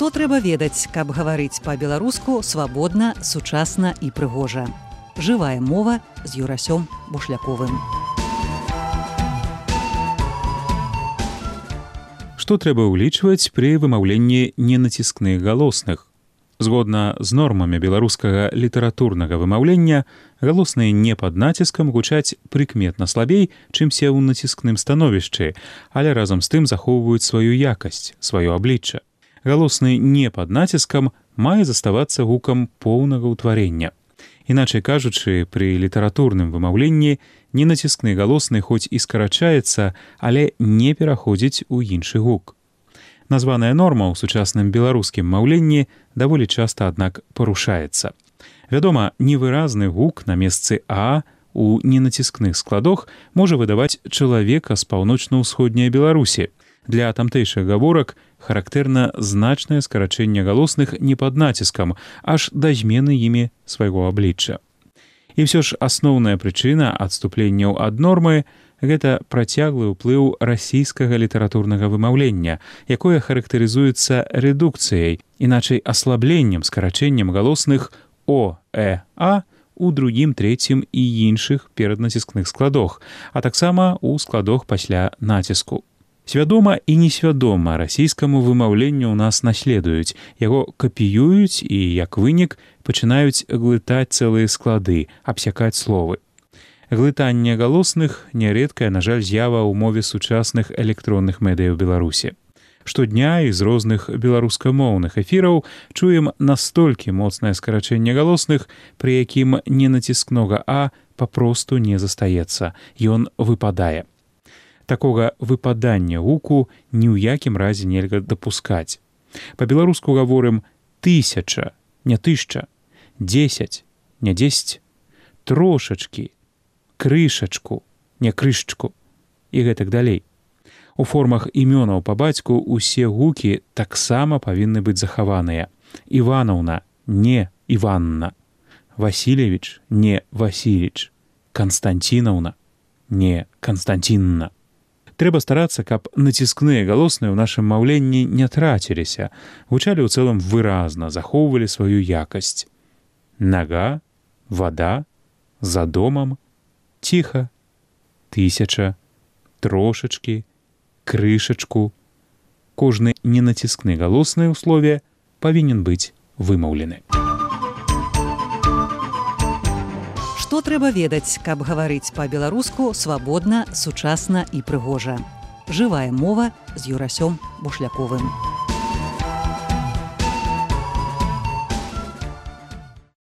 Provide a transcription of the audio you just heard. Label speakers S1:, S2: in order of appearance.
S1: Што трэба ведаць, каб гаварыць па-беларуску свабодна, сучасна і прыгожа. Жывая мова з Юрасём Бушляковым.
S2: Што трэба ўлічваць пры вымаўленні ненаціскных галосных? Згодна з нормамі беларускага літаратурнага вымаўлення, галосныя не пад націскам гучаць прыкметна слабей, чымся ў націскным становішчы, але разам з тым захоўваюць сваю якасць, сваё аблічча. Галосны не пад націскам мае заставацца гукам поўнага ўтварення. Іначай кажучы, пры літаратурным вымаўленні ненаціскны галосны хоць і скарачаецца, але не пераходзіць у іншы гук. Названая норма ў сучасным беларускім маўленні даволі часта, аднак, парушаецца. Вядома, невыразны гук на месцы «а» у ненаціскных складах можа выдаваць чалавека з паўночна-ўсходняй Беларусі. Для тамтэйшых гаворак характэрна значнае скарачэнне галосных не пад націскам, аж да змены імі свайго аблічча. І ўсё ж асноўная прычына адступленняў ад нормы – гэта працяглы ўплыў расійскага літаратурнага вымаўлення, якое характарызуецца рэдукцыяй, іначай аслабленнем, скарачэннем галосных «о», «э», «а» у другім, трэцім і іншых пераднаціскных складах, а таксама ў складах пасля націску. Свядома і несвядома расійскаму вымаўленню ў нас наследуюць, яго капіююць і, як вынік, пачынаюць глытаць цэлыя склады, абсякаць словы. Глытанне галосных – нярэдкая, на жаль, з'ява ў мове сучасных электронных медыяў Беларусі. Штодня з розных беларускамоўных эфіраў чуем настолькі моцнае скарачэнне галосных, пры якім ненаціскнога «а» папросту не застаецца, ён выпадае. Такога выпадання гуку ні ў якім разе нельга дапускаць. Па-беларуску гаворым «тысяча», не «тышча», «дзесяць», не «дзесяць», «трошачкі», «крышачку», не «крышчку» і гэтак далей. У формах імёнаў па бацьку ўсе гукі таксама павінны быць захаваныя. Іванаўна, не Іванна. Васильевич, не Васіліч. Канстанцінаўна, не Канстанцінна. Трэба старацца, каб націскныя галосныя ў нашым маўленні не траціліся, гучалі ў цэлым выразна, захоўвалі сваю якасць. Нага, вада, за домам, ціха, тысяча, трошачкі, крышачку. Кожны ненаціскны галосны ў слове павінен быць вымаўлены.
S1: Што трэба ведаць, каб гаварыць па-беларуску свабодна, сучасна і прыгожа. Жывая мова з Юрасём Бушляковым.